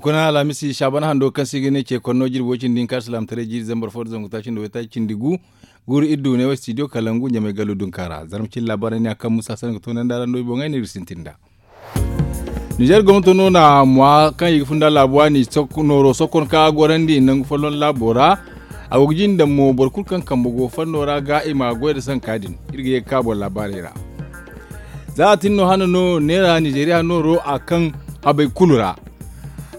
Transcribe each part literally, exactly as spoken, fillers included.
Kuna alhamisi saabana hando kaŋ se i ga ne ce konno jirbi way cindi hinka alsilaamataray jiiri zambar fo nda zangu taaci nda waytaaci cindi gu. Guuru iri du ne wo studio kalangu ɲamay gallu dunka ra zarma cine laabaarey ne a kaŋ musa sanda ga toonandi a ra no i boŋey no iri sintin nd'a. Nizer gomnato no na ŋwa kaŋ i ga funda laabu waani nooro sokkon kaŋ a gorandi nangu folloŋ laabo ra. A go ga jinde mo boro kulu kaŋ kambe go fanno ra ga i ma goy nda sanka din. Iri ga ye ga ka boro laabaarey ra. Za a tin no hane no neera nizeriya nooro a kaŋ habay kulu ra.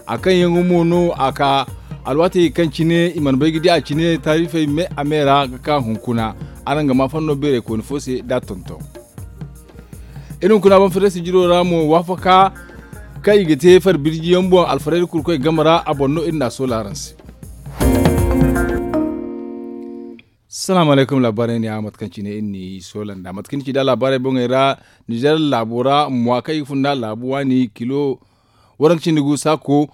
A kaŋ yaŋ mo no a ka alwaatey kaŋ cine i mana bay ga di a cine taarifey me a me ra ga ka hunkuna. Araŋ ga ma fanno beerey kooni fo se da tonton. Iri hunkuna banfiraysi jiro ra mo waafaka kaŋ i ga te fari birji yaŋ boŋ alfarayda kurkoy game ra a boŋ no iri n'a soola araŋ se. Salaamu alaykum laabaarey ne a mate kaŋ cine iri n'i soola nd'a mate kaŋ ni ci nd'a laabaarey boŋey ra. Nizer laabo ra mwa kaŋ i ga fun nd'a laabu waani kilo waranka cindi gu saako.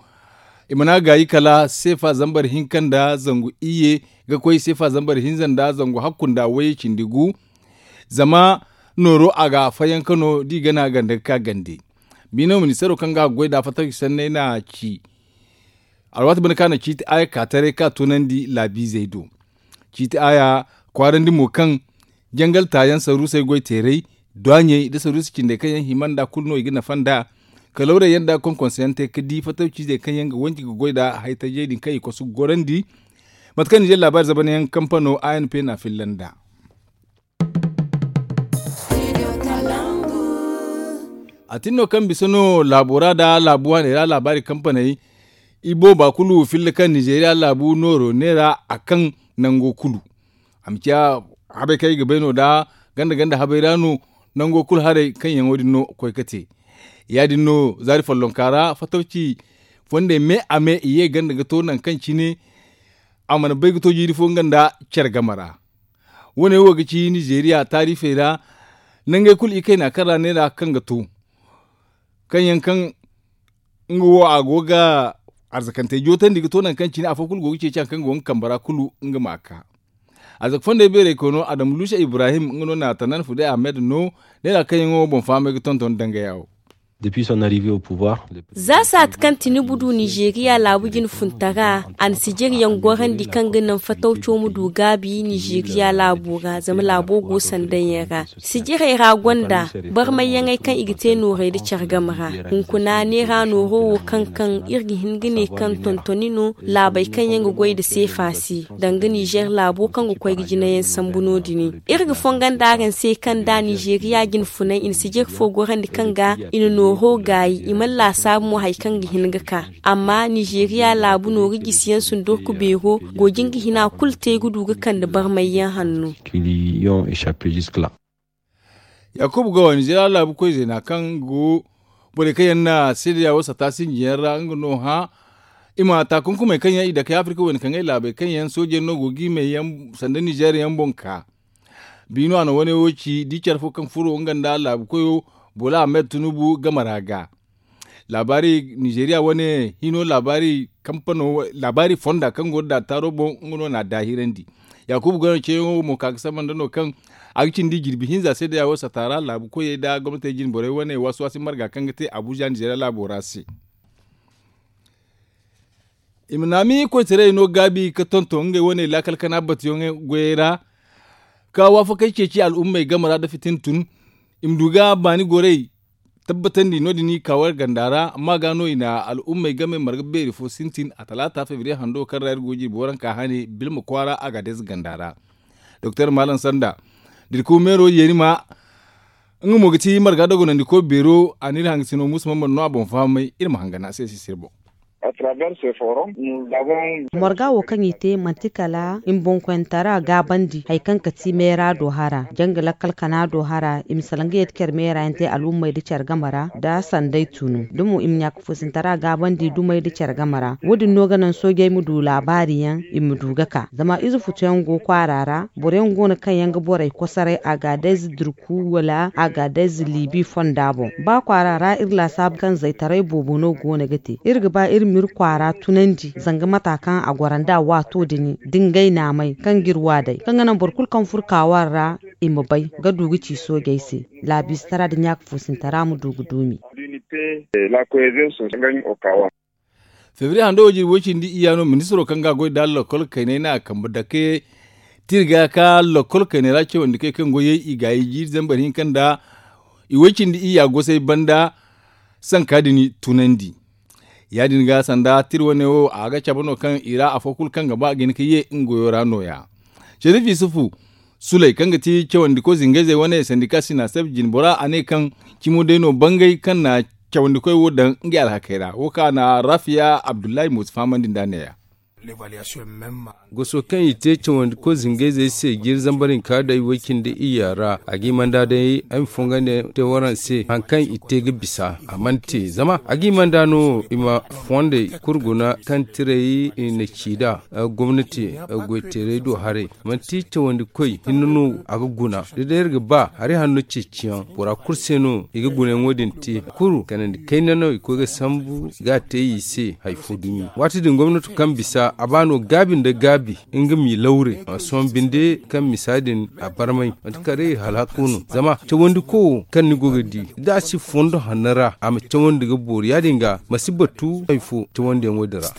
I mana gaayi kala seefa zambar hinka nda zangu iyye ga koy seefa zambar hinza nda zangu hakku nda wayye cindi gu. Zama nooro a ga fayanka no da i gana ganda ga ka gande. Biino ministeero kaŋ ga a ga goy nd'a fattaku sanney n'a ci. Alwaati banda kaŋ a na ciiti aaya ka taray ka tunandi laabiizey do. Ciiti aaya kwaarandi mo kaŋ jangal taayaŋ saruusey goy teeray dwaaɲey nda saruusi cindey kaŋ yaŋ hima nd'a kulu no i ga nafa nd'a. Kalawrey yaŋ nda konkonseyaŋ te ga di fattawciizey kaŋ yaŋ ga wanji ga goy nd'a haytajey din kaŋ i kosu ga gorandi. Mate kaŋ nizer laabaari zabanayaŋ kampano a n p n'a filla nd'a. A tin no kaŋ bisa no laabo ra nda laabu waaney ra laabaari kampaney. I booba kulu filla kaŋ nizeriya laabu nooro neera a kaŋ nango kulu. A ma ciya habay kaŋ ay ga bay no nda ganda ganda habay ra no. Nango kulu haray kaŋ yaŋo din no koy ga te. Ya- din no zaari follonka ra fattawci fondey me a me i ye ganda ga to nangu kaŋ cine a mana bay ga to jiiri fo nga nda care game ra. Wo- ne wo ga ci nizeriya taarifey ra. Nangey kulu ikayna kaŋ ra neera kaŋ ga to kaŋ yaŋ kaŋ nga wo a go ga arzakantey jootandi ga to nangu kaŋ cine afo kulu go ga ceeci hari kaŋ go nga kambe ra kulu nga ma a ka. Arzaka fondey beerey koy no adamu luusa ibrahim nga no na tanan fuday ahmed no. Neera kaŋ yaŋo boŋ fahamey ga tonton dangaya wo. Za saati kaŋ tinibu du nizeriya laabu jine funtara a na sijiryaŋ gorandi kaŋ ga naŋ fatawco ma du gaabi nizeriya laabo ra zama laabo go sandanyaŋ ra. Sijirey ra gonda barmayyaŋey kaŋ i ga te noorey nda care game ra. Hunkuna neera nooro wo kaŋ kaŋ iri ga hin ga ne kaŋ tontoni no laabey kaŋ yaŋ ga goy nda seefa se danga nizer laabo kaŋ ga koy ga jinayaŋ sambu no- din. Iri ga fongon da araŋ se kaŋ da nizeriya jine funay i na sijir fo gorandi kaŋ ga i na nooro gaayi i mana laasaabu mo hari kaŋ ga hin ga ka. Amma nizeriya laabu nooru jisiyaŋ sundurku beero go jin ga hina kulu te ga du ga kande barmayyaŋ hanno. Yaakubu gawa nizeriya laabu koy zeena kaŋ go borey kaŋ yaŋ na seedeya wo sata sinjiyaŋ ra nga no hã. I ma taakunkumey kaŋ yaŋ i dake afirka wayna kaŋ ay laabey kaŋ yaŋ soojey no go ga i may yaŋ sanda nizer yaŋ boŋ ka. Biino a na wane wo ci da i care fo kaŋ furo nga nda laabu koyo bola ahmed tunubu game ra ga. Laabaari nizeriya wane hino laabaari kampano laabaari fonda kaŋ go nda daataaro boŋ nga no na a daahirandi. Yaakubu gano ceeyaŋo mo ka ga samba nda no kaŋ a ga cindi jirbi hinza se da yaawo sata ra laabu koyey nda gomnatey jine borey wane waasi waasi marga kaŋ ga te abuja nizeriya laabo ra se. I ma naami koytaray no gaabi ga tonton ngey wane laakal kana batuyaŋ goyey ra. Ka waafakey ceeci al'ummey game ra nda fitina tun i ma du ga baani gorey tabbatandi no- din i ka war ganda ra amma ga no i na al'ummey game marga beeri fo sintin a talaata febriye hando kaŋ ra iri go ga jirbi waranka hane bilma kwaara a ga deeza ganda ra. Doktor malam sanda dirku meero yeeni ma nga mo ga ti marga dogonandiko beero a n'iri hangasino musa mamman no a boŋ fahamay iri ma hangana se sisir boŋ. Morga wo kaŋ i te manti kala i ma boŋkoyantara gaabandi hari kaŋ ka ti meera do hara janga lakkal kana do hara i ma salaŋ ga yadda care meera yaŋ te al'ummey nda care game ra nda sanday tunu da mo i ma ɲaaka foosintara gaabandi dumey nda care game ra wo- din no ga naŋ soojey ma du laabaari yaŋ i ma du ga ka zama ize futuyaŋ go kwaara ra boro yaŋ go no kaŋ yaŋ ga borey kosoray a ga day za durku wala a ga day za liibi fonda boŋ ba kwaara ra iri laasaabu kaŋ zaytaray boobo no go no ga te iri ga ba iri ma iri kwaara tunandi zanga mata kaŋ a goro nd'a waato din da ngey naamay kaŋ ga iri wa day kaŋ ga naŋ boro kulu kaŋ furo kaawar ra i ma bay ga du ga ci soojey se laabiizatara nda ɲaaka foosintara ma du ga duumi. Febriye hando wo jirbi way cindi iyya no ministiro kaŋ ga a goy nda lokol kayney no a kambe dake, tirga ka lokol kayney ra cawandi kay kaŋ goyey i gaayi jiiri zambar hinka nda i way cindi iyya gosay banda sanka din tunandi. Ya- din ga sanda tir wane wo a ga cabe no kaŋ i ra afo kulu kaŋ ga ba a ga hin ka ye nga goyo ra no- ya. Sharif yusufu suley kaŋ ga ti cawandiko zingayzey wane sandika sinaseb jinbora a ne kaŋ cimo day no bangay kaŋ na cawandikoy wo daŋ ngey alhakey ra wo kaŋ a na rafiya abdullahi moosi fahamandi nd'a ne- ya. Goso kaŋ i te cawandiko zingayzey se jiiri zambar hinka day way cindi iyya ra a ga i manda day ay ma fonga ne te waraŋ se hari kaŋ i te ga bisa a mana te zama a ga i manda no i ma fondey kulu guna kaŋ tirey i na ci nd'a gomnati goyteerey do haray. Manti cawandi koy hinne no a ga guna da day iri ga ba hari hanno ceeciyaŋ bora kulu se no i ga gunayaŋo din te kulu kanandi kayna no i koy ga sambu ga a te i se hari fo dumi. Waati din gomnato kaŋ bisa a ba no gaabi nda gaabi nga m'i lawre a sohõ binde kaŋ misa din a barmay manti kala day iri halhako no zama cawandi ko wo kaŋ ni go ga di da a si fondo hanno ra a ma cawandi ga boori ya- din ga ma si batu hari fo cawandiyaŋo din ra.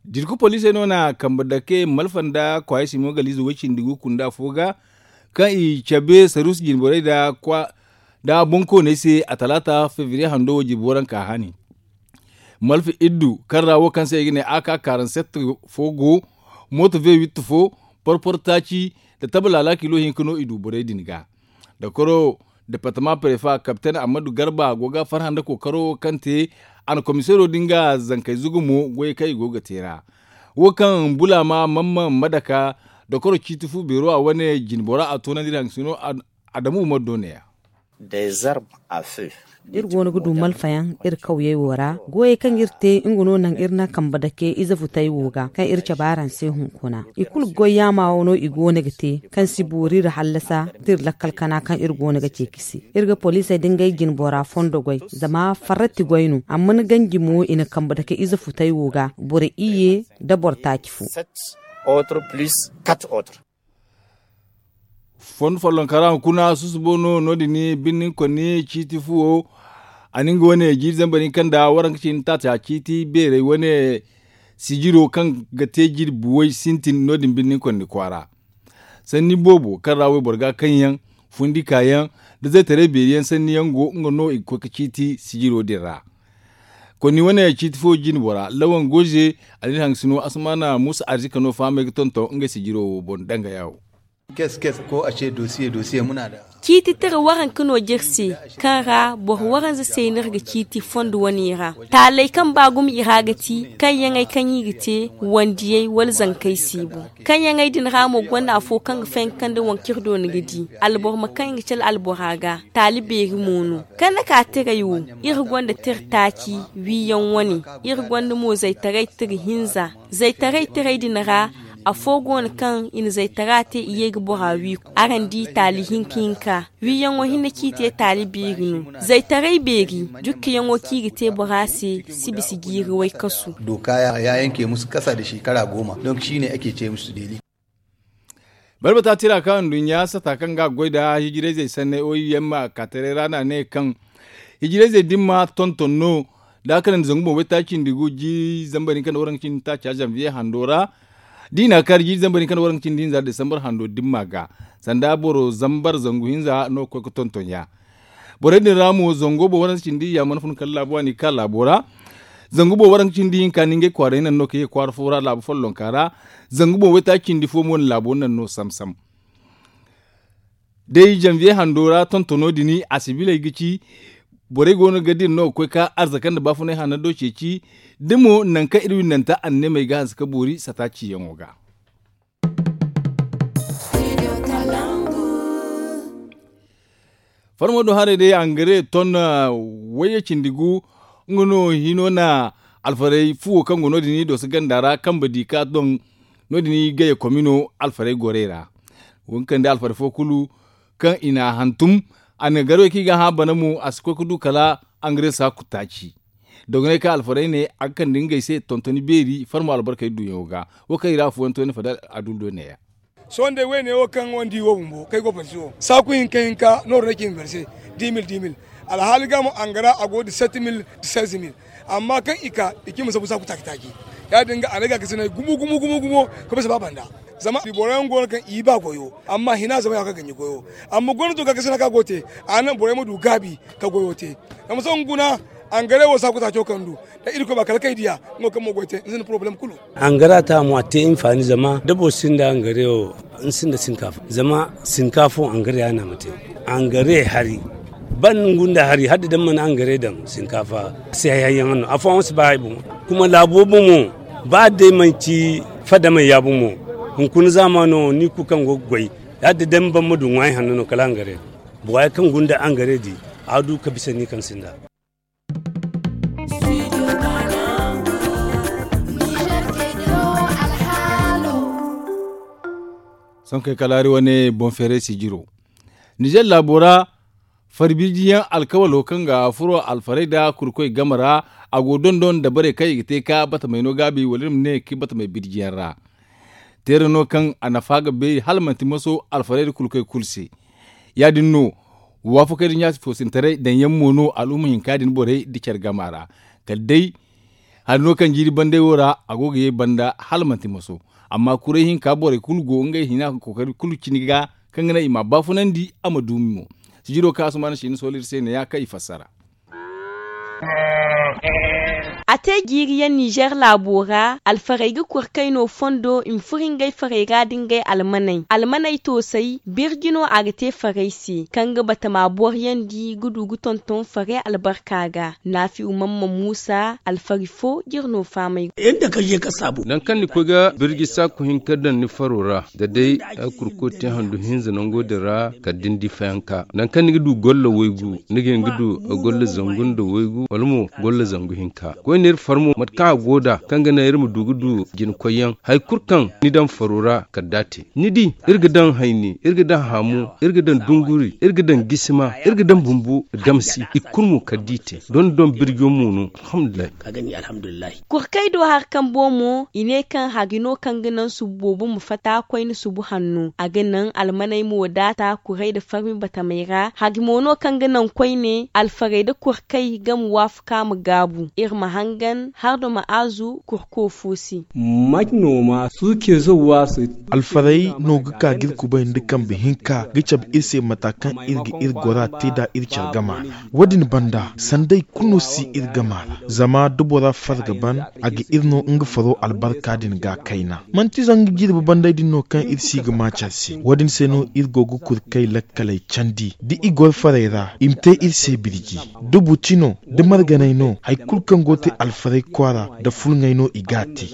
Dirku poliisey no na kambe dake malfa nda kwaayey simo galiize way cindi gu kunda fo ga kaŋ i cabe saruusi jinborey nda bonkooney se a talaata febriye hando wo jirbi waranka haani. Malfa iddu kaŋ ra wo kaŋ se i ga ne a ka karanset fo go mooto ve witti fo porpor taaci nda taba laala kilo hinka no i du borey din ga. Dokoro departama prefa kapten ammadu garba go ga farhã nda kookaro kaŋ te a na komiseero din ga zankey zugu mo goyey kaŋ i go ga te ra. Wo kaŋ bulaama mamman madaka dokoro ciiti fu beero a wane jinbora a toonandi iri haŋ sino adamu umaru do ne- ya. Iri go no ga du malfayaŋ iri kawyey wo ra goyey kaŋ iri te nga no naŋ iri na kambe dake ize futey wo ga kaŋ iri cabe araŋ se hunkuna i kulu goy yaama wo no i go no ga te kaŋ si boori iri hallasa da iri lakkal kana kaŋ iri go no ga ceeci se. Iri ga poliisey da ngey jinbora fondo goy zama farrati goy no amma ni ganji mo i na kambe dake ize futey wo ga boro iyye nda boro taaci fo. Fondo follonkara hunkuna susubo no no- din birnin konni ciiti fuwo a na nga wane jiiri zambar hinka nda waranka cindi taaca ciiti beerey wane sijiro kaŋ ga te jirbi way sintin no- din birnin konni kwaara. Sanni boobo kaŋ ra wayboro ga kaŋ yaŋ fundi ka yaŋ da zaytaray beeri yaŋ sanni yaŋ go nga no i ga koy ga ciiti sijiro din ra. Konni wane ciiti fo jinbora lawan goze a na iri haŋ sino asamaana muusa arzika no fahamey ga tonton ngey sijiro wo boŋ dangaya wo. Ciiti tira waranka no jiri se kaŋ ra boro waranza se no iri ga ciiti fondo wane ra. Taaley kaŋ ba gumo i ra ga ti kaŋ yaŋey kaŋ i ga te wandiyey wala zankey siibu kaŋ yaŋey din ra mo gonda afo kaŋ ga fayanka kaŋ da waŋ kaŋ iri do ni ga di alboro ma kaŋ i ga cale albora ga taali beeri mo no. Kaŋ na ka tiray wo iri gonda tira taaci wiiyaŋ wane. Iri gonda mo zaytaray tira hinza. Zaytaray tiray din ra afo go no kaŋ i na zaytara te i ye ga bora wi. Araŋ di taali hinka hinka wiiyaŋo hinne kaŋ i te taali beeri no. Zaytaray beeri jukkiyaŋo kaŋ i ga te bora se si bisa jiiri way kasu. Dooka ya yanke musu kasa da shekara gooma donk shi ne ake ce musu deeli. Balbata tira kaŋ nduɲɲa sata kaŋ ga a goy nda hijirayzey sanney oim a kaataray ra no a ne kaŋ hijirayzey dimma tonton no da a kanandi zangu boŋ waytaaci nda gu jiiri zambar hinka nda waranka cindi taaca zanviye hando ra. Da i na a kaari jiiri zambar hinka nda waranka cindi hinza desambar hando dimma ga sanda boro zambar zangu hinza no ga koy ga tonton ya. Borey din ra mo zango boŋ waranka cindi ya mana fun kala laabo a n'i ka laabo ra. Zangu boŋ waranka cindi hinka ni ngey kwaarey naŋ no ka ye kwaara fo ra laabu follonka ra. Zangu boŋ waytaaci cindi fo mo na laabo naŋ no sam-sam. Day janviye hando ra tontono din a sibiley ga ci borey go no ga dira no ga koy ka arzaka nda baafunay hanno do ceeci. Da mo nangu kaŋ iri windanta anneemey ga hanse ka boori sata ciyaŋo ga. Farmo do haray day angare ton wayye cindi gu. Nga no hino na alfarey fuwo kaŋ go no- din i doso ganda ra kambe di ka doŋ no- din i gaye komino alfarey gorey ra. Wo nga kande alfarey fo kulu kaŋ i na a hantum a na garwey kaŋ i ga a hã bana mo a si koy ga du kala angare saaku taaci. Dogoney kaŋ alfarey ne a ga kande ngey se tontoni beeri farmo albarkey duyaŋo ga. Wo kaŋ i ra afooyaŋ to ne fadal adul do neeya. Sohõ day wayne wo kaŋ wandi wo bumbo kaŋ ay go parsi wo saaku hinka hinka nooru no ay ci ma bare se. Dix mille dix mille. Alhaali ga mo angara a go da sept mille da seize mille. Amma kaŋ i ka i ci ma sabu saaku taaci taaci. Ya- din ga a na gaakasinay gumo gumo gumo gumo ka bisa ba banda. Zama boro yaŋ go no kaŋ i ba goyo. Amma hina zama ya ga ganji goyo. Amma gwamnato gaakasina kaŋ a go te, a naŋ borey ma du gaabi ka goyo te. Zama sohõ guna, angare wo saaku taaco kaŋ du, da irkoy ba kala kay diya. Nga wo kaŋ mo goy te ni sinda porobalem kulu. Angara ta mo a te hinfaani zama da boro sinda angare wo, ni sinda sinkaafa zama sinkaafa wo angare ya no a ma te. Angare hari ban gunda hari hala da daŋ mana angare daŋ sinkaafa se hayyaŋ no afooyaŋ si ba hari boŋ. Kuma laabo boŋo ba day manci fadamey ya boŋo. Hunkuna zaamaano ni kulu kaŋ go ga goy, hala da daŋ ban ma du ŋwaayi hanno no kala angare. Bora kaŋ gunda angare di a du ka bisa ni kaŋ sinda. Sonkey kalaari wane boŋ feeray sijiro. Nizer laabo ra fari birjiyaŋ alkawalo kaŋ ga furo alfarey nda kurkoy game ra, a go dondon dabarey kaŋ i ga te ka batamey no gaabi wala iri ma ne ka batamey birjiyaŋ ra. Teera no kaŋ a nafa ga beeri hala manti maso alfarey nda kurkoy kulu se. Ya-din no waafakey nda ɲaasi foosintaray daŋyaŋ mo no al'umma hinka din borey nda care gama ra. Kala day hari no kaŋ jiiri banday wo ra a go ga ye banda hala manti maso. Amma kuray hinka borey kulu go ngey hina kookari kulu cine ga kaŋ ga naŋ i ma a baafunandi a ma duumi mo. Sijiro kaŋ asumaana siina sohõ iri se ne ya kaŋ i fassara. A te jiiriyaŋ nizer laabo ra alfarey ga kurkay no fondo i ma furo ngey farey ra da ngey almaney almaney toosay birji no a ga te farey se kaŋ ga batama boriyandi ga du ga tonton farey albarka ga. Naafi'u mamman muusa alfari fo jire no faamay. Ga. Naŋ kaŋ ni koy ga birji saaku hinka daŋ ni faro ra da day ay kurko te handu hinza nango din ra kala da ni di fayanka naŋ kaŋ ni ga du golla waygu ni ga hin ga du golla zangu nda waygu wala mo golla zangu hinka. Koyne iri farmo mate kaŋ a go nd'a kaŋ ga naŋ iri ma du ga du jina koyyaŋ hari kulu kaŋ ni daŋ faro ra kala da a te ni di. Iri ga daŋ hayni, iri ga daŋ haamu, iri ga daŋ dunguri, iri ga daŋ gisima, iri ga daŋ bumbu damsi i kulu mo kala da i te. Don don birjo mo no. Alhamdulillahi. Kurkey do hari kambo mo i ne kaŋ hari no kaŋ ga naŋ subu boobo ma fatta koyne subu hanno a ga naŋ almaney mo daata kuray nda farmi batamey ra hari mo no kaŋ ga naŋ koyne alfarey nda kurkey ga ma waafaku a ma gaabu iri ma hangan hardo ma aazu kurko fo se. Alfarey no ga ka ga iri kubay nda kambe hinka ga cabe iri se mata kaŋ iri ga iri gora te nd'a iri care gama ra. Wo- din banda sanday kulu no si iri gama ra zama da bora far ga ban a ga iri no nga faro albarka din ga kayna. Manti zanga jirbi banday din no kaŋ iri si ga ma care se wo- din se no iri go ga kurkay lakkaley candi da i goro farey ra i ma te iri se birji. Da buti no da marganay no hari kulu kaŋ go ga te alfarey kwaara nda fulŋey no i ga a te.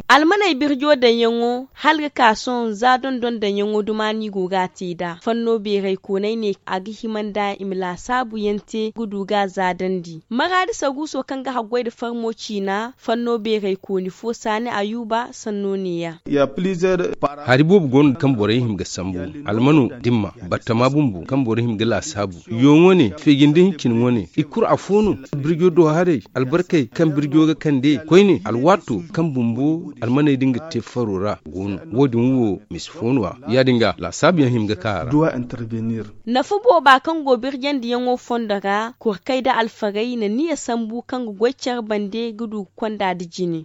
Almaney birjo daŋyaŋo hala ga ka sohõ za dondon daŋyaŋo duma no i go ga a te nd'a fanno beeraykooney ne a ga hima nda i ma laasaabu yaŋ te ga du ga a zaadandi maraadi saguuso kaŋ ga haggoy nda farmo ciina fanno beeraykooni fo saani ayuuba sanno neeya. Hari boobo go no kaŋ borey hima ga sambu almano dimma battama bumbo kaŋ borey hima ga laasaabu. Yo wane feejindi hincin wane i kulu afo no birjo do haray albarkey kaŋ birjo ga kande koyne alwaato kaŋ bumbo almaney din ga te faro ra go no. Wo- din wo misi fo no- ya ya- din ga laasaabu yaŋ hima ga ka a ra. Nafa booba kaŋ go birjandiyaŋo fondo ra kurkey nda alfarey na niya sambu kaŋ ga goy care bande ga du ga konda nda jine.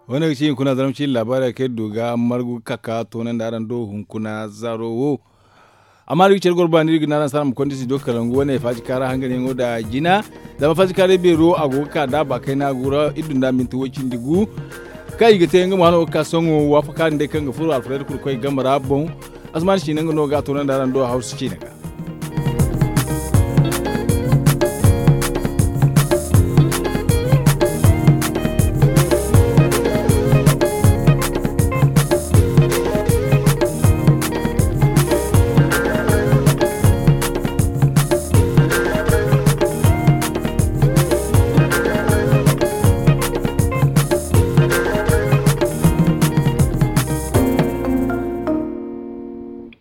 Wane ga ci hunkuna zaramci laabaarey kaŋ iri du ga margu ga ka ka toonandi araŋ do hunkuna zaaro wo. Amma da iri ga care goro ba no iri ga ne araŋ se araŋ ma konda studio kalangu wane faaji kaara hanganyaŋo nda jina. Zama faaji kaaray beero a go ga ka da ba kayna gura iri dunda minti way cindi gu. Kaŋ i ga te nga mo hano ga ka sohõ waafaka din day kaŋ ga furo alfarayda kulu koy game ra boŋ. Asman siina nga no ga a toonandi araŋ do hawsu ciine ga.